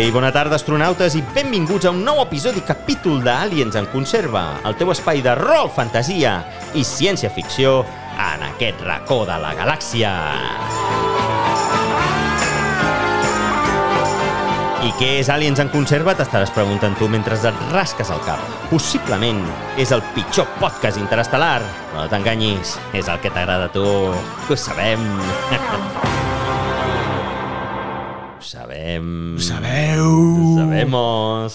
i bona tarda, astronautes, i benvinguts a un nou episodi capítol d'Aliens en Conserva, el teu espai de rol, fantasia i ciència-ficció en aquest racó de la galàxia. I què és Aliens en Conserva? T'estaràs preguntant tu mentre et rasques el cap. Possiblement és el pitjor podcast interestel·lar, però no t'enganyis, és el que t'agrada a tu, que ho sabem. Ho sabemos.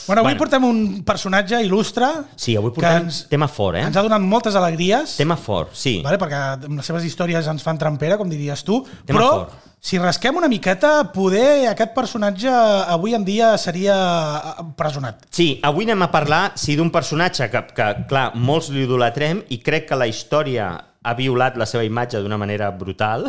Bueno, avui portem un personatge il·lustre. Sí, avui portem tema fort, Ens ha donat moltes alegries. Tema fort, sí. Vale, perquè les seves històries ens fan trampera, com diries tu. Tema però, fort. Si rasquem una miqueta, poder aquest personatge avui en dia seria presonat. Sí, avui anem a parlar, d'un personatge que, clar, molts li idolatrem i crec que la història ha violat la seva imatge d'una manera brutal.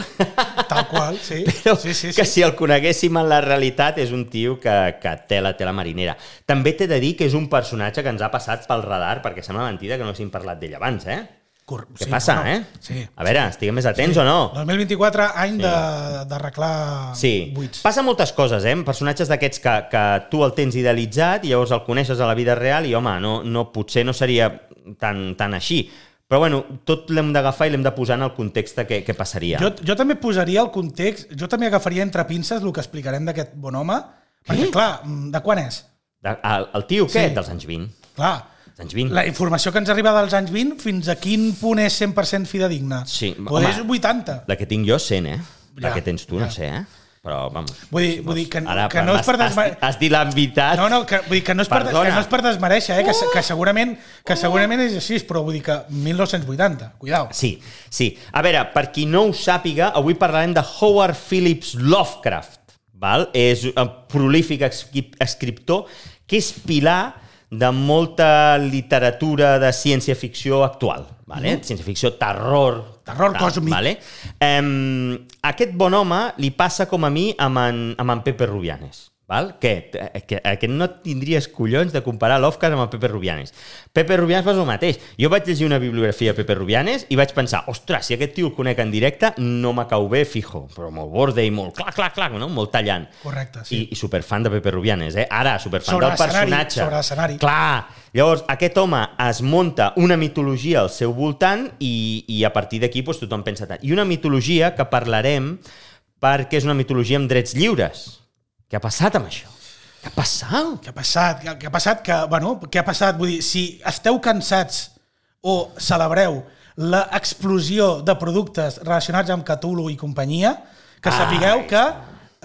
Tal qual, sí. Però sí. que si el coneguéssim en la realitat és un tio que té la marinera. També t'he de dir que és un personatge que ens ha passat pel radar, perquè sembla mentida que no hàgim parlat d'ell abans, Què passa, Sí. A veure, estiguem més atents o no? 2024, any d'arreglar buits. Passa moltes coses, personatges d'aquests que tu el tens idealitzat i llavors el coneixes a la vida real i, home, potser no seria tan així. Però, bueno, tot l'hem d'agafar i l'hem de posar en el context que passaria. Jo també posaria el context, jo també agafaria entre pinces el que explicarem d'aquest bon home, perquè, clar, de quan és? El tio aquest, dels anys 20. Clar, anys 20. La informació que ens arriba dels anys 20, fins a quin punt és 100% fidedigna? Sí. Potser és 80. La que tinc jo, 100, La que tens tu, no sé, Però, vamos... Vull dir que no és per desmereixer... Has dit la veritat. Vull dir que no és per desmereixer, que segurament és així, però vull dir que 1980, cuidao. Sí. A veure, per qui no ho sàpiga, avui parlarem de Howard Phillips Lovecraft, val? És un prolífic escriptor que és pilar de molta literatura de ciència-ficció actual, vale? Ciència-ficció, terror còsmic. Vale? Aquest bon home li passa com a mi amb en Pepe Rubianes. Val? Que no tindries collons de comparar Lovecraft amb el Pepe Rubianes. Pepe Rubianes va ser el mateix. Jo vaig llegir una bibliografia de Pepe Rubianes i vaig pensar, ostres, si aquest tio el conec en directe, no me cau bé, fijo, però molt borde i molt clac, no? Molt tallant. Correcte, sí. I superfan de Pepe Rubianes, Ara, superfan del personatge. Sobre l'escenari. Clar! Llavors, aquest home es munta una mitologia al seu voltant i a partir d'aquí tothom pensa tant. I una mitologia que parlarem perquè és una mitologia amb drets lliures. Què ha passat amb això? Què ha passat? Vull dir, si esteu cansats o celebreu l'explosió de productes relacionats amb Cthulhu i companyia, que sapigueu que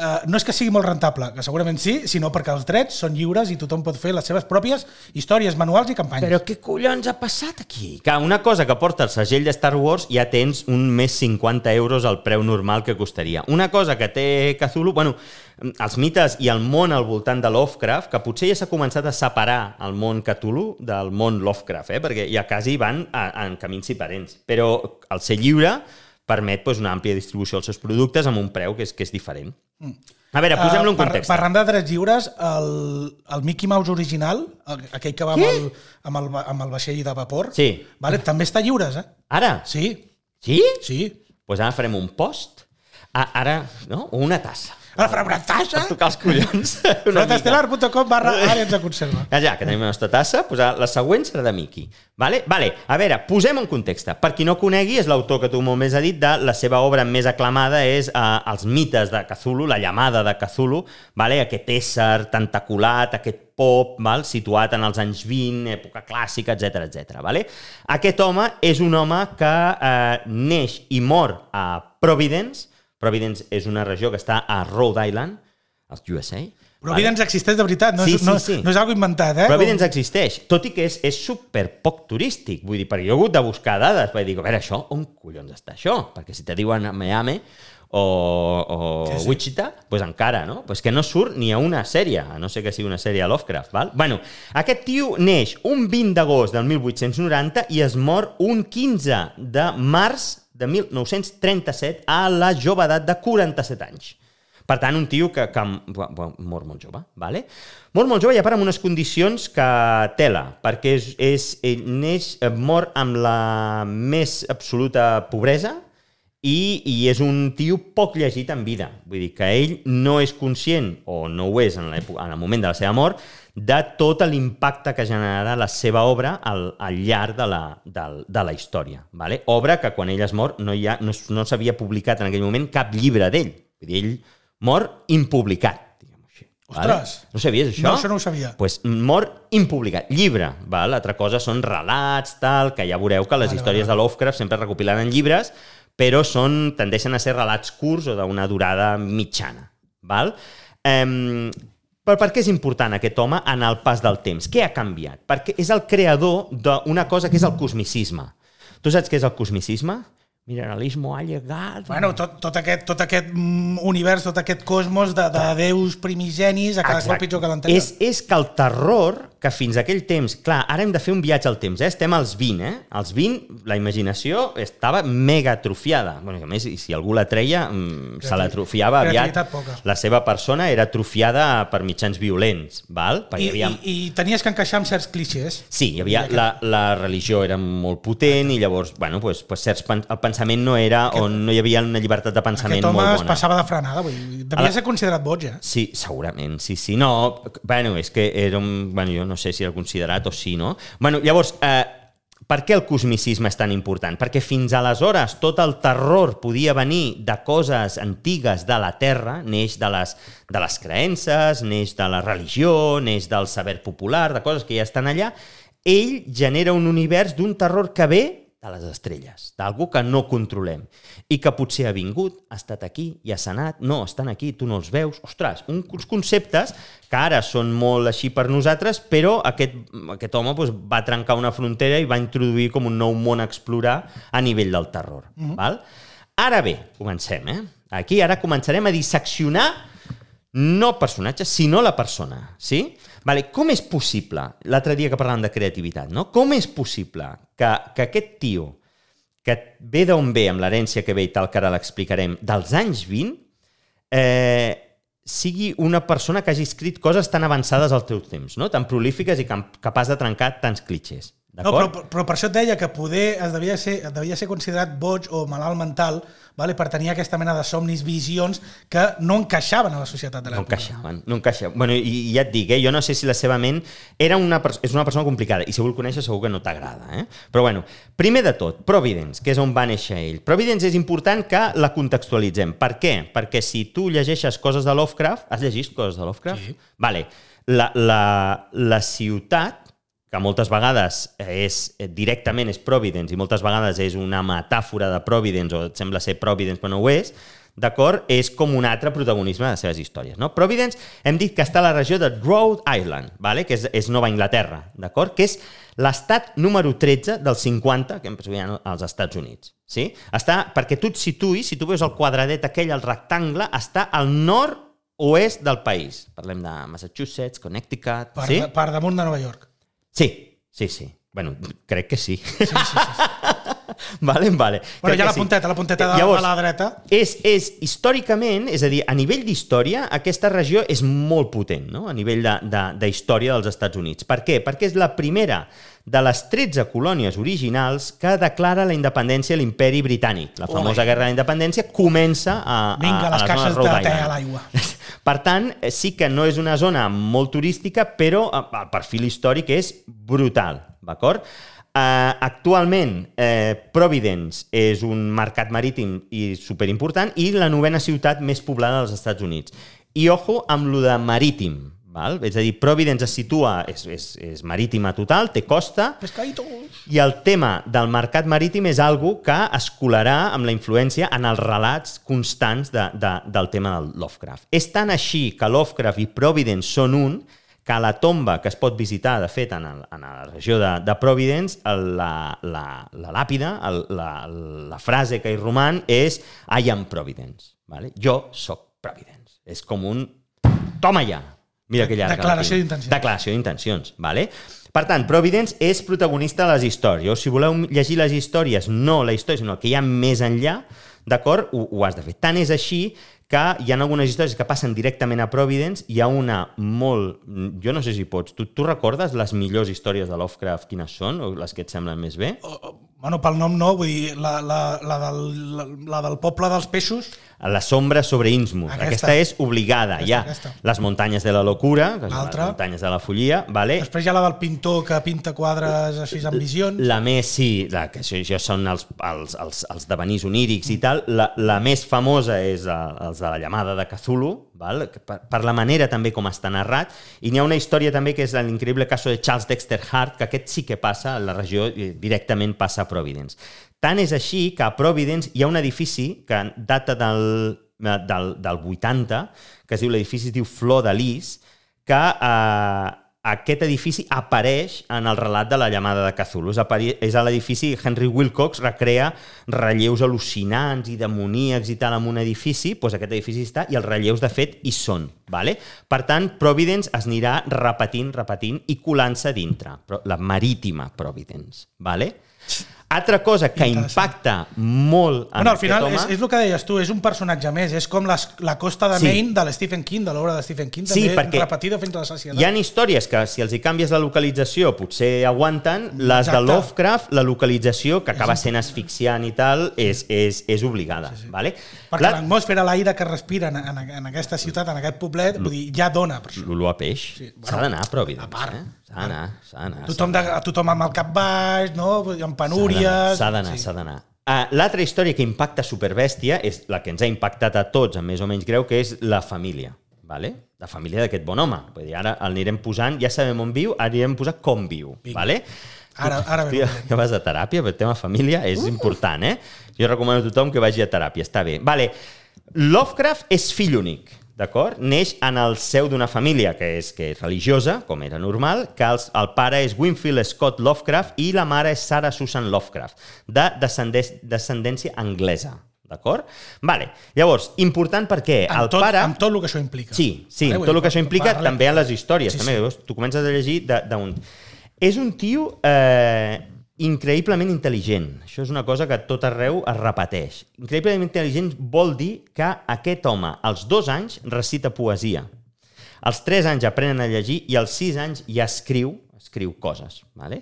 no és que sigui molt rentable, que segurament sí, sinó perquè els drets són lliures i tothom pot fer les seves pròpies històries, manuals i campanyes. Però què collons ha passat aquí? Que una cosa que porta el segell de Star Wars ja tens un més 50 euros al preu normal que costaria. Una cosa que té Cthulhu, els mites i el món al voltant de Lovecraft, que potser ja s'ha començat a separar el món Cthulhu del món Lovecraft, perquè ja quasi van en camins diferents. Però el ser lliure permet una àmplia distribució dels seus productes amb un preu que és diferent. A veure, posem-lo en context. Parlant de drets lliures, el Mickey Mouse original, aquell que va amb el vaixell de vapor, també està lliures, Ara? Sí. Sí? Sí. Doncs ara farem un post, ara, no? O una tassa. Ara farem una tassa? Per tocar els collons. Frontestelar.com/Aliens en Conserva. Ja que tenim la nostra tassa, la següent serà de Mickey. Vale? A veure, posem en context. Per qui no conegui, és l'autor que tu molt més has dit, de la seva obra més aclamada és Els mites de Cthulhu, la llamada de Cthulhu, aquest ésser tentaculat, aquest pop, situat en els anys 20, època clàssica, etc. Aquest home és un home que neix i mor a Providence. Providence és una regió que està a Rhode Island, als USA. Providence existeix de veritat, no és algo inventat, Providence existeix, tot i que és super poc turístic. Vull dir, perquè jo he hagut de buscar dades, perquè dic, a veure, això, on collons està això? Perquè si te diuen Miami o Wichita, doncs encara, no? Doncs que no surt ni a una sèrie, a no ser que sigui una sèrie a Lovecraft, val? Bueno, aquest tio neix un 20 d'agost del 1890 i es mor un 15 de març de 1937 a la jovedat de 47 anys. Per tant, un tio que mor molt jove, ¿vale? Mor molt jove i a part amb unes condicions que tela, perquè ell mor amb la més absoluta pobresa i és un tio poc llegit en vida. Vull dir que ell no és conscient, o no ho és en el moment de la seva mort, de tot l'impacte que generarà la seva obra al llarg de la història. Vale? Obra que quan ell es mor no s'havia publicat en aquell moment cap llibre d'ell. Vull dir, ell mor impublicat. Ostres! Vale? No sabies això? No, això no ho sabia. Pues mort impublicat. Llibre. Val? Altra cosa són relats, tal, que ja veureu que les històries de Lovecraft sempre es recopilen en llibres, però tendeixen a ser relats curts o d'una durada mitjana. Val? Però per què és important aquest home en el pas del temps? Què ha canviat? Perquè és el creador d'una cosa que és el cosmicisme. Tu saps què és el cosmicisme? Mineralismo ha llegat... Bueno, tot aquest univers, tot aquest cosmos de déus primigenis a cada cop pitjor que l'anterior. És que el terror, que fins a aquell temps... Clar, ara hem de fer un viatge al temps, estem als 20, Als 20 la imaginació estava mega atrofiada. Bueno, a més, si algú la treia, se l'atrofiava aviat. La seva persona era atrofiada per mitjans violents, val? I tenies que encaixar amb certs clixés. Sí, hi havia la religió era molt potent i llavors, bueno, pues el pensament no era on no hi havia una llibertat de pensament molt bona. Aquest home es passava de frenada, devia ser considerat boig, Sí, segurament, sí. No, bueno, és que era un... Bueno, jo no sé si era considerat o sí, no? Bueno, llavors, per què el cosmicisme és tan important? Perquè fins aleshores tot el terror podia venir de coses antigues de la Terra, neix de les creences, neix de la religió, neix del saber popular, de coses que ja estan allà. Ell genera un univers d'un terror que ve de les estrelles, d'algú que no controlem i que potser ha vingut, ha estat aquí i ha sanat, no, estan aquí, tu no els veus. Ostres, uns conceptes que ara són molt així per nosaltres, però aquest home va trencar una frontera i va introduir com un nou món a explorar a nivell del terror. Val? Ara bé, comencem. Aquí ara començarem a disseccionar no personatges, sinó la persona. Sí? Vale, com és possible, l'altre dia que parlàvem de creativitat, no? Com és possible que aquest tio, que ve d'on ve, amb l'herència que ve i tal, que ara l'explicarem, dels anys 20, sigui una persona que hagi escrit coses tan avançades al teu temps, no? Tan prolífiques i capaç de trencar tants clitxers. No, però per això et deia que poder devia ser considerat boig o malalt mental, vale, per tenir aquesta mena de somnis, visions que no encaixaven a la societat de l'època. No encaixaven. Bueno, i ja et dic, jo no sé si la seva ment és una persona complicada i si vol conèixer segur que no t'agrada. Però bueno, primer de tot, Providence, que és on va néixer ell. Providence és important que la contextualitzem. Per què? Perquè si tu llegeixes coses de Lovecraft, has llegit coses de Lovecraft? Sí. Vale. La ciutat, que moltes vegades directament és Providence i moltes vegades és una metàfora de Providence o et sembla ser Providence però no ho és, d'acord? És com un altre protagonisme de les seves històries. No? Providence hem dit que està a la regió de Rhode Island, vale? Que és Nova Anglaterra, d'acord? Que és l'estat número 13 dels 50 que hem posat als Estats Units. Sí? Està, perquè tu et situïs, si tu veus el quadradet aquell, el rectangle, està al nord-oest del país. Parlem de Massachusetts, Connecticut... Per damunt de Nova York. Sí. Bueno, crec que sí. Sí. Vale. Bueno, ja la punteta de la dreta. És històricament, és a dir, a nivell d'història, aquesta regió és molt potent, no? A nivell d'història dels Estats Units. Per què? Perquè és la primera de les 13 colònies originals que declara la independència a l'imperi britànic. La famosa Guerra de la Independència comença a les caixes de te a l'aigua. Per tant, sí que no és una zona molt turística, però el perfil històric és brutal, d'acord? Actualment, Providence és un mercat marítim i superimportant i la 9ª ciutat més poblada dels Estats Units. I ojo amb lo de marítim, val? És a dir, Providence es situa, és marítima total, té costa, i el tema del mercat marítim és algo que es colarà amb la influència en els relats constants del tema del Lovecraft. És tan així que Lovecraft i Providence són un, que a la tomba que es pot visitar, de fet, en la regió de Providence, la làpida, la frase que hi roman és I am Providence. Vale? Jo soc Providence. És com un... Toma ja! Mira que llarga. Declaració d'intencions. Vale? Per tant, Providence és protagonista de les històries. Si voleu llegir les històries, no la història, sinó el que hi ha més enllà, d'acord? Ho has de fer. Tant és així que hi ha algunes històries que passen directament a Providence. Hi ha una molt... Jo no sé si pots... Tu recordes les millors històries de Lovecraft quines són? O les que et semblen més bé? Bueno, pel nom no, vull dir, la del poble dels peixos... La sombra sobre Innsmouth. Aquesta és obligada. Aquesta. Les muntanyes de la locura, les muntanyes de la follia. Vale? Després hi ha la del pintor que pinta quadres així amb visions. La més, sí, que això són els devenís onírics i tal. La més famosa és els de la llamada de Cthulhu, val? Per la manera també com està narrat. I n'hi ha una història també que és l'increïble cas de Charles Dexter Hart, que aquest sí que passa a la regió, directament passa a Providence. Tant és així que a Providence hi ha un edifici que data del 80, que es diu l'edifici, es diu Flor de Lis, que aquest edifici apareix en el relat de la llamada de Cthulhu. És a l'edifici Henry Wilcox recrea relleus al·lucinants i demoníacs i tal en un edifici, doncs aquest edifici està i els relleus de fet hi són. Vale? Per tant, Providence es anirà repetint i colant-se dintre. La marítima Providence. Vale? Altra cosa que impacta molt en al final aquest home... és el que deies tu, és un personatge més, és com la Costa de Maine de l'Stephen King, de l'obra de Stephen King, també repetida fins a la sacietat. Hi ha històries que si els hi canvies la localització potser aguanten, les de Lovecraft, la localització, que acaba sent asfixiant i tal, és obligada. Sí. Vale? Perquè l'atmosfera, l'aire que respira en aquesta ciutat, en aquest poblet, vull dir, ja dona per això. L'olor a peix. Sí. S'ha d'anar a Providence. A part. S'ha d'anar. Tothom amb el cap baix, no? Amb penúries... S'ha d'anar. L'altra història que impacta superbèstia és la que ens ha impactat a tots, amb més o menys greu, que és la família. Vale? La família d'aquest bon home. Vull dir, ara l'anirem posant, ja sabem on viu, ara anirem posant com viu. Vale? Ara ja vas a teràpia, però el tema família és important, eh? Jo recomano a tothom que vagi a teràpia, està bé. Vale. Lovecraft és fill únic. D'acord? Neix en el seu d'una família que és religiosa, com era normal, que el pare és Winfield Scott Lovecraft i la mare és Sarah Susan Lovecraft, de descendència anglesa. D'acord? Vale. Llavors, important perquè el pare... Amb tot el que això implica. Sí, tot el que això implica, també en les històries. Sí, també. Sí. Tu comences a llegir d'un... És un tio increïblement intel·ligent. Això és una cosa que tot arreu es repeteix. Increïblement intel·ligent vol dir que aquest home, als 2 anys, recita poesia. Als 3 anys aprenen a llegir i als 6 anys ja escriu coses. Vale?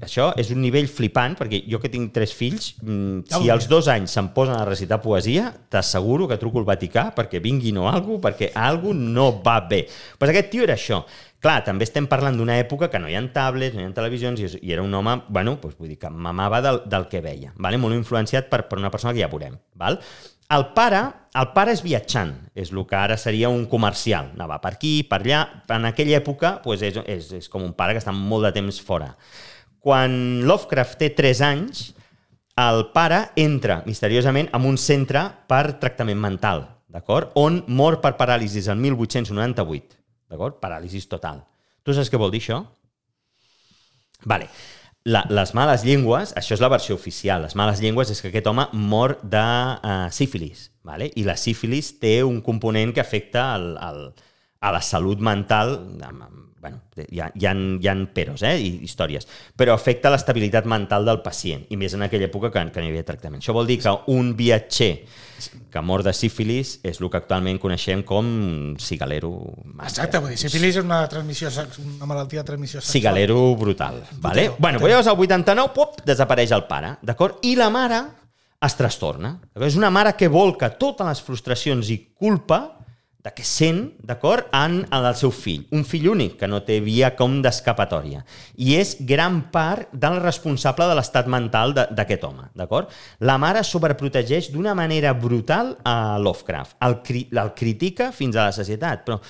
Això és un nivell flipant, perquè jo que tinc 3 fills, si als 2 anys se'm posen a recitar poesia, t'asseguro que truco al Vaticà perquè vinguin o alguna cosa, perquè alguna no va bé. Pues aquest tio era això. Clar, també estem parlant d'una època que no hi ha tablets, no hi ha televisions, i era un home, bueno, doncs vull dir que mamava del que veia, vale? Molt influenciat per una persona que ja veurem. Val? El pare és viatjant, és el que ara seria un comercial, anava per aquí, per allà. En aquella època doncs és com un pare que està molt de temps fora. Quan Lovecraft té 3 anys, el pare entra misteriosament en un centre per tractament mental, d'acord? On mor per paràlisis el 1898. D'acord? Paràlisis total. Tu saps què vol dir això? Vale. Les males llengües, això és la versió oficial, les males llengües és que aquest home mor de sífilis, vale? I la sífilis té un component que afecta a la salut mental, bueno, hi ha peros, i històries, però afecta l'estabilitat mental del pacient, i més en aquella època que no hi havia tractament. Això vol dir que un viatger que mor de sífilis és el que actualment coneixem com cigalero. Exacte, vull dir, sífilis és una malaltia de transmissió sexual. Cigalero brutal. Vale? Bueno, llavors al 89 desapareix el pare, d'acord? I la mare es trastorna. És una mare que volca totes les frustracions i culpa que sent, d'acord, en el seu fill. Un fill únic, que no té via com d'escapatòria. I és gran part del responsable de l'estat mental d'aquest home, d'acord? La mare sobreprotegeix d'una manera brutal a Lovecraft. El critica fins a la sacietat, però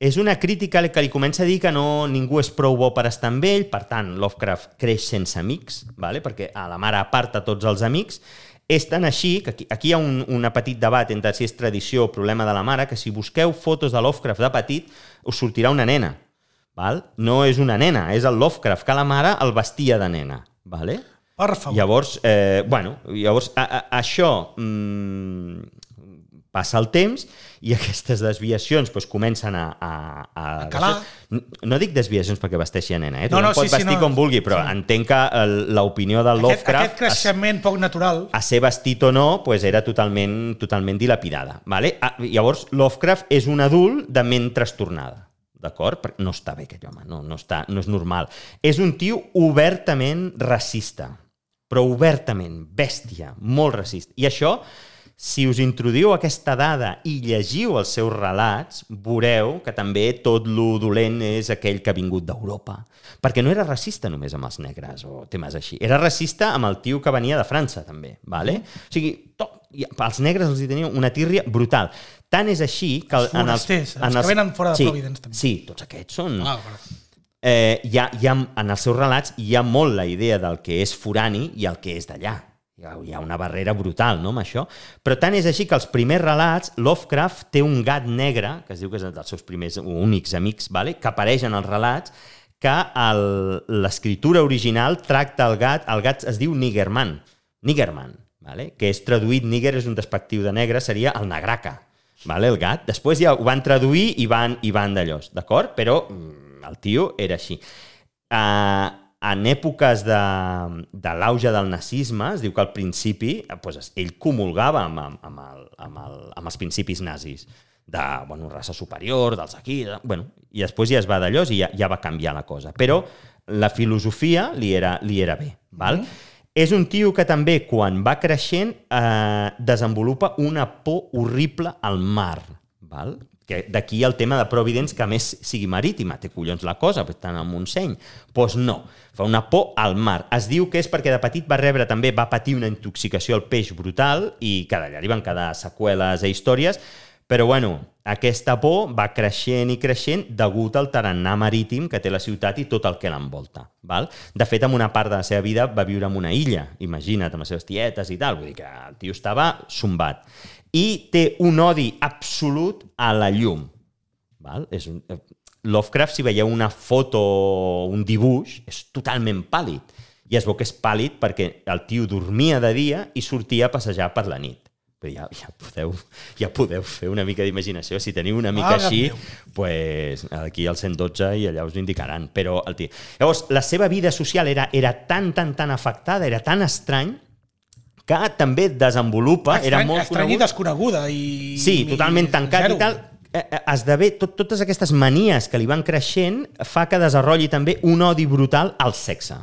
és una crítica que li comença a dir que ningú és prou bo per estar amb ell, per tant, Lovecraft creix sense amics, vale? Perquè a la mare aparta tots els amics. És tan així que aquí hi ha un petit debat entre si és tradició o problema de la mare, que si busqueu fotos de Lovecraft de petit, us sortirà una nena. Val? No és una nena, és el Lovecraft, que la mare el vestia de nena. Vale? Per favor. Llavors, això passa el temps i aquestes desviacions comencen a calar. No dic desviacions perquè vesteixi a nena, tothom pot vestir com vulgui, però entenc que l'opinió del Lovecraft... Aquest creixement poc natural... A ser vestit o no, era totalment dilapidada. Vale? Llavors, Lovecraft és un adult de ment trastornada. D'acord? Perquè no està bé aquest home, no és normal. És un tio obertament racista. però obertament, bèstia, molt racista. I això, si us introduïu aquesta dada i llegiu els seus relats, veureu que també tot lo dolent és aquell que ha vingut d'Europa. Perquè no era racista només amb els negres o temes així. Era racista amb el tio que venia de França, també. Vale? O sigui, als negres els hi tenia una tírria brutal. Tant és així que... Els forasters, els que venen fora de Providence, també. Sí, tots aquests són... En els seus relats hi ha molt la idea del que és forani i el que és d'allà. Hi ha una barrera brutal, no, amb això? Però tant és així que els primers relats, Lovecraft té un gat negre, que es diu que és dels seus primers o únics amics, vale? Que apareix en els relats, que l'escriptura original tracta el gat es diu Niggerman, vale? Que és traduït, Nigger és un despectiu de negre, seria el negraca, vale? El gat. Després ja ho van traduir i van d'allò, d'acord? Però el tio era així. En èpoques de l'auge del nazisme, es diu que al principi ell comulgava amb els principis nazis, de raça superior, dels aquí, i després ja es va d'allò i ja va canviar la cosa. Però la filosofia li era bé. Val? És un tio que també, quan va creixent, desenvolupa una por horrible al mar. Val? D'aquí el tema de Providence, que a més sigui marítima. Té collons la cosa, estan al Montseny. Doncs no, fa una por al mar. Es diu que és perquè de petit va patir una intoxicació al peix brutal i que d'allà li van quedar seqüeles i històries, però aquesta por va creixent i creixent degut al tarannà marítim que té la ciutat i tot el que l'envolta. De fet, en una part de la seva vida va viure en una illa, imagina't, amb les seves tietes i tal, vull dir que el tio estava sombat. I té un odi absolut a la llum. Lovecraft, si veieu una foto o un dibuix, és totalment pàl·lid. I es veu que és pàl·lid perquè el tio dormia de dia i sortia a passejar per la nit. Però ja podeu fer una mica d'imaginació. Si teniu una mica així, aquí al 112 i allà us ho indicaran. Però el tio... Llavors, la seva vida social era tan afectada, era tan estrany, que també desenvolupa... Estrany i desconeguda. Sí, totalment tancat i tal. Esdevé, totes aquestes manies que li van creixent fa que desenvolupi també un odi brutal al sexe.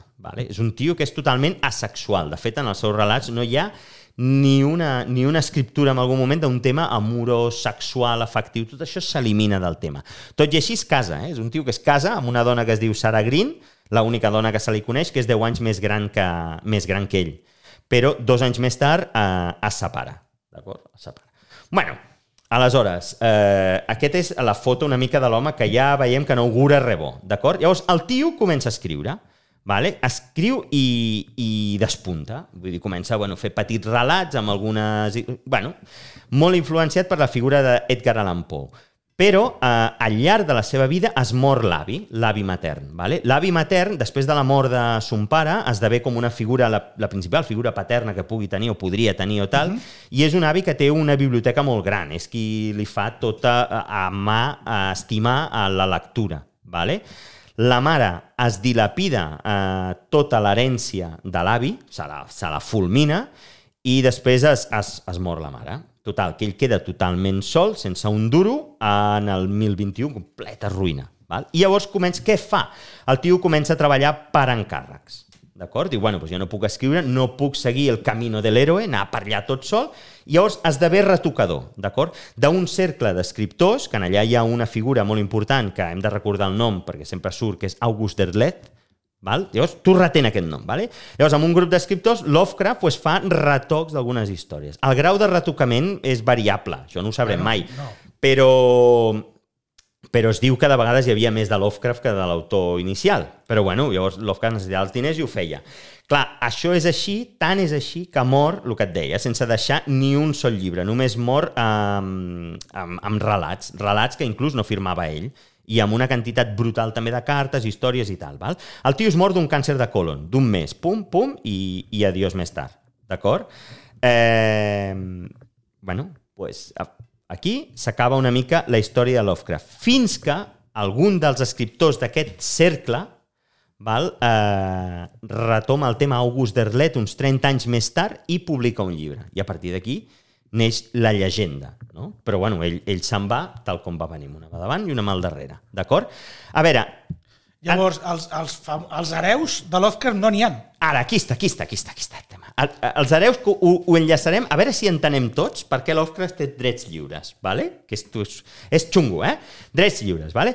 És un tio que és totalment asexual. De fet, en els seus relats no hi ha ni una escriptura en algun moment d'un tema amorós, sexual, afectiu. Tot això s'elimina del tema. Tot i així es casa. És un tio que es casa amb una dona que es diu Sarah Green, l'única dona que se li coneix, que és 10 anys més gran que ell. Però 2 anys més tard es separa. D'acord? Es separa. Aleshores, aquesta és la foto una mica de l'home que ja veiem que no augura res bo. D'acord? Llavors, el tio comença a escriure. Escriu i despunta. Vull dir, comença a fer petits relats amb algunes... molt influenciat per la figura d'Edgar Allan Poe. Però al llarg de la seva vida es mor l'avi matern. L'avi matern, després de la mort de son pare, esdevé com una figura, la principal figura paterna que pugui tenir o podria tenir o tal, i és un avi que té una biblioteca molt gran, és qui li fa tota a mà a estimar la lectura. La mare es dilapida tota l'herència de l'avi, se la fulmina, i després es mor la mare. Total, que ell queda totalment sol, sense un duro, en el 1021, completa ruïna. I llavors què fa? El tio comença a treballar per encàrrecs. D'acord? Diu, jo no puc escriure, no puc seguir el camino de l'héroe, anar per allà tot sol, i llavors esdevé retocador, d'acord? D'un cercle d'escriptors, que en allà hi ha una figura molt important, que hem de recordar el nom, perquè sempre surt, que és August Derleth. Llavors, tu retén aquest nom. Llavors, amb un grup d'escriptors, Lovecraft fa retocs d'algunes històries. El grau de retocament és variable, això no ho sabrem mai, però es diu que de vegades hi havia més de Lovecraft que de l'autor inicial. Però llavors Lovecraft necessitava els diners i ho feia. Clar, això és així, tant és així, que mor, el que et deia, sense deixar ni un sol llibre. Només mor amb relats que inclús no firmava ell, i amb una quantitat brutal també de cartes, històries i tal. El tio es mor d'un càncer de colon, d'un mes, pum, i adiós més tard. D'acord? Aquí s'acaba una mica la història de Lovecraft. Fins que algun dels escriptors d'aquest cercle retoma el tema August Derleth uns 30 anys més tard i publica un llibre. I a partir d'aquí neix la llegenda, no? Però ell se'n va tal com va venir, una mà davant i una mà al darrere, d'acord? A veure... Llavors, els hereus de Lovecraft no n'hi ha. Ara, aquí està el tema. Els hereus ho enllaçarem, a veure si entenem tots per què Lovecraft té drets lliures, ¿vale? Que és xungo, Drets lliures, ¿vale?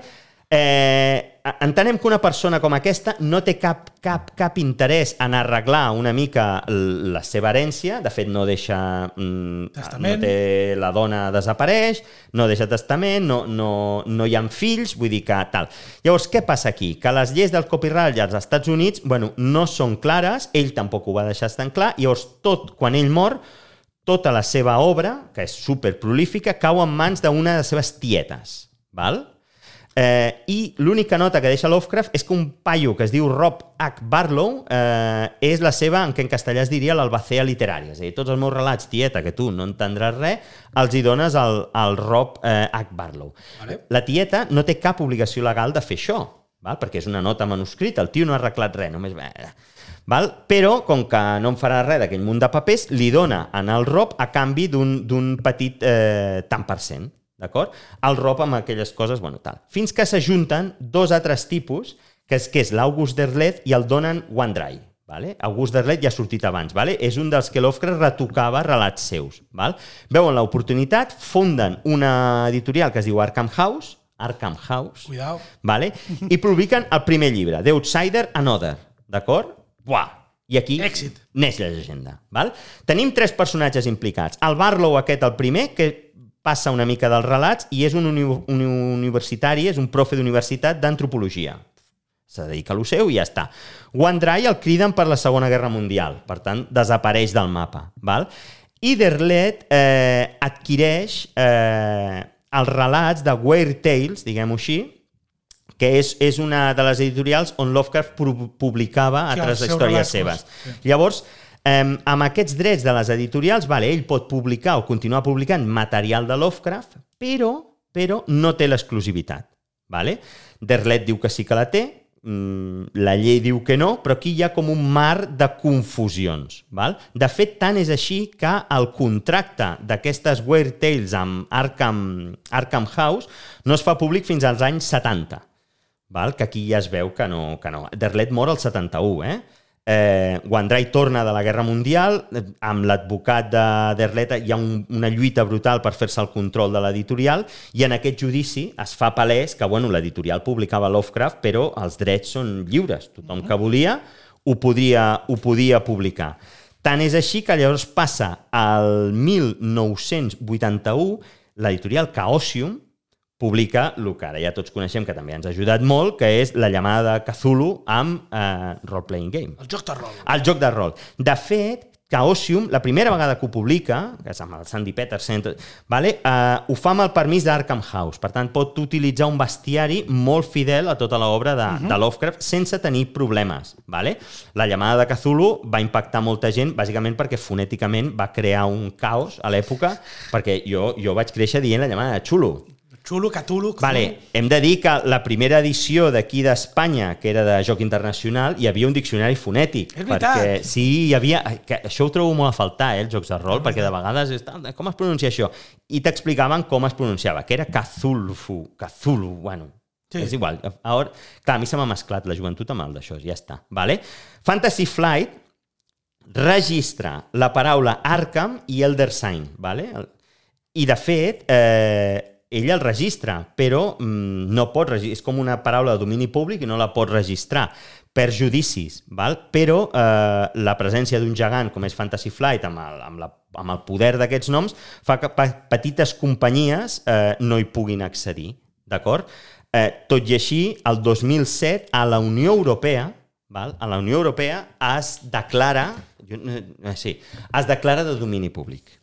Entenem que una persona com aquesta no té cap interès en arreglar una mica la seva herència, de fet no deixa testament. No té, la dona desapareix, no deixa testament, no hi ha fills, vull dir que tal. Llavors, què passa aquí? Que les lleis del copyright als Estats Units, no són clares, ell tampoc ho va deixar tan clar, llavors quan ell mor, tota la seva obra, que és superprolífica, cau en mans d'una de les seves tietes, val? I l'única nota que deixa Lovecraft és que un paio que es diu Rob H. Barlow és la seva, en què en castellà es diria l'albacea literària. És a dir, tots els meus relats, tieta, que tu no entendràs res, els hi dones al Rob H. Barlow. Vale. La tieta no té cap obligació legal de fer això, val? Perquè és una nota manuscrita, el tio no ha arreglat res, només... Val? Però, com que no en farà res d'aquell munt de papers, li dona al Rob a canvi d'un petit tant per cent. D'acord? El Rob amb aquelles coses, tal. Fins que s'ajunten dos altres tipus, que és l'August Derleth i el Donald Wandrei. Vale? August Derleth ja ha sortit abans. Vale? És un dels que Lovecraft retocava relats seus. Val? Veuen l'oportunitat, funden una editorial que es diu Arkham House, Cuidao. Vale? I publiquen el primer llibre, The Outsider and Other. D'acord? Buah! I aquí neix la llegenda. Val? Tenim tres personatges implicats. El Barlow aquest, el primer, que passa una mica dels relats i és un universitari, és un profe d'universitat d'antropologia. Se dedica a lo seu i ja està. Wandrei el criden per la Segona Guerra Mundial, per tant, desapareix del mapa. Val? I Derleth adquireix els relats de Weird Tales, diguem-ho així, que és una de les editorials on Lovecraft publicava altres històries seves. Llavors, amb aquests drets de les editorials, ell pot publicar o continuar publicant material de Lovecraft, però no té l'exclusivitat. Derleth diu que sí que la té, la llei diu que no, però aquí hi ha com un mar de confusions. De fet, tant és així que el contracte d'aquestes Weird Tales amb Arkham House no es fa públic fins als anys 70, que aquí ja es veu que no. Derleth mor al 71, Wandrei torna de la Guerra Mundial, amb l'advocat de Derleth hi ha una lluita brutal per fer-se el control de l'editorial i en aquest judici es fa palès que l'editorial publicava Lovecraft però els drets són lliures, tothom que volia ho podia publicar. Tant és així que llavors passa al 1981 l'editorial Chaosium publica el que ara ja tots coneixem, que també ens ha ajudat molt, que és La llamada de Cthulhu amb Role Playing Game. El joc de rol. El joc de rol. De fet, Chaosium, la primera vegada que ho publica, que és amb el Sandy Petersen, ho fa amb el permís d'Arkham House. Per tant, pot utilitzar un bestiari molt fidel a tota l'obra de Lovecraft sense tenir problemes. La llamada de Cthulhu va impactar molta gent, bàsicament perquè fonèticament va crear un caos a l'època, perquè jo vaig créixer dient la llamada de Chulu. Cthulhu. Hem de dir que la primera edició d'aquí d'Espanya, que era de joc internacional, hi havia un diccionari fonètic. És veritat. Perquè, sí, hi havia... Això ho trobo molt a faltar, els jocs de rol, perquè de vegades... Com es pronuncia això? I t'explicaven com es pronunciava, que era Cthulhu, bueno... Sí. És igual. Clar, a mi se m'ha mesclat la joventut amb el d'això, ja està. Fantasy Flight registra la paraula Arkham i Elder Sign. I, de fet... ell el registra, però no pot registrar. És com una paraula de domini públic i no la pot registrar per judicis. Però la presència d'un gegant com és Fantasy Flight amb el poder d'aquests noms fa que petites companyies no hi puguin accedir. D'acord? Tot i així, el 2007 a la Unió Europea es declara de domini públic.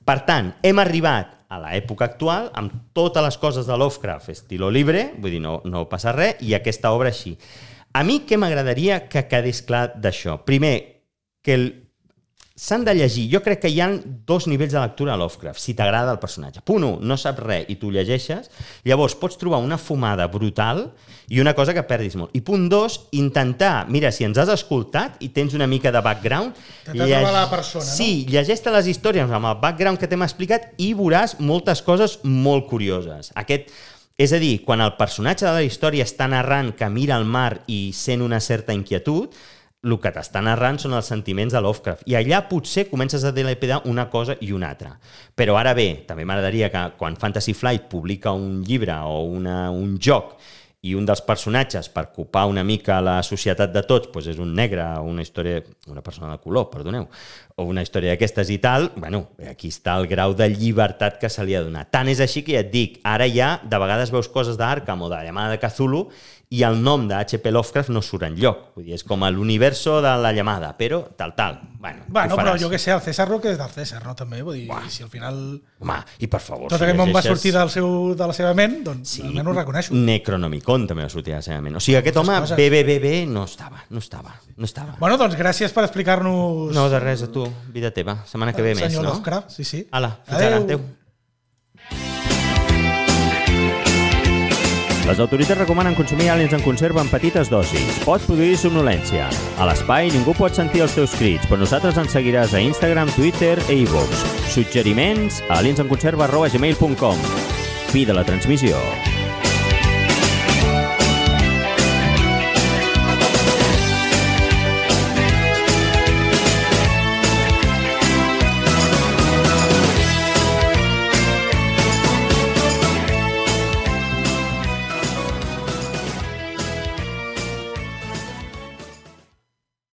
Per tant, hem arribat a l'època actual amb totes les coses de Lovecraft estilo libre, vull dir, no passa res, i aquesta obra així. A mi què m'agradaria que quedés clar d'això? Primer, que s'han de llegir. Jo crec que hi ha dos nivells de lectura a Lovecraft, si t'agrada el personatge. Punt 1, no saps res i tu llegeixes, llavors pots trobar una fumada brutal i una cosa que perdis molt. I punt 2, intentar, mira, si ens has escoltat i tens una mica de background, la persona, no? Sí, llegeix-te les històries amb el background que t'hem explicat i veuràs moltes coses molt curioses. És a dir, quan el personatge de la història està narrant que mira el mar i sent una certa inquietud, el que t'està narrant són els sentiments de Lovecraft. I allà potser comences a dilapidar una cosa i una altra. Però ara bé, també m'agradaria que quan Fantasy Flight publica un llibre o un joc i un dels personatges, per ocupar una mica la societat de tots, doncs és un negre, una persona de color, perdoneu, o una història d'aquestes i tal, bueno, aquí està el grau de llibertat que se li ha donat. Tant és així que ja et dic, ara ja de vegades veus coses d'Arkham o de la llamada de Cthulhu i el nom de H.P. Lovecraft no surt enlloc. Vull dir, és com l'universo de la llamada, però tal. Bueno, però jo que sé, el César lo que és del César, no? També, vull dir, si al final... Home, i per favor... Tot aquest món va sortir de la seva ment, doncs sí, almenys ho reconeixo. Necronomicon també va sortir de la seva ment. O sigui, aquest home, bé, no estava. Bueno, doncs gràcies per explicar-nos... No, de res, a tu, vida teva. Setmana que ve més, no? Senyor Lovecraft, sí. Ala, fins ara, adéu. Les autoritats recomanen consumir àliens en conserva en petites dosis. Pot produir somnolència. A l'espai ningú pot sentir els teus crits, però nosaltres ens seguiràs a Instagram, Twitter e iVoox. Suggeriments a aliensenconserva@gmail.com. Fi de la transmissió.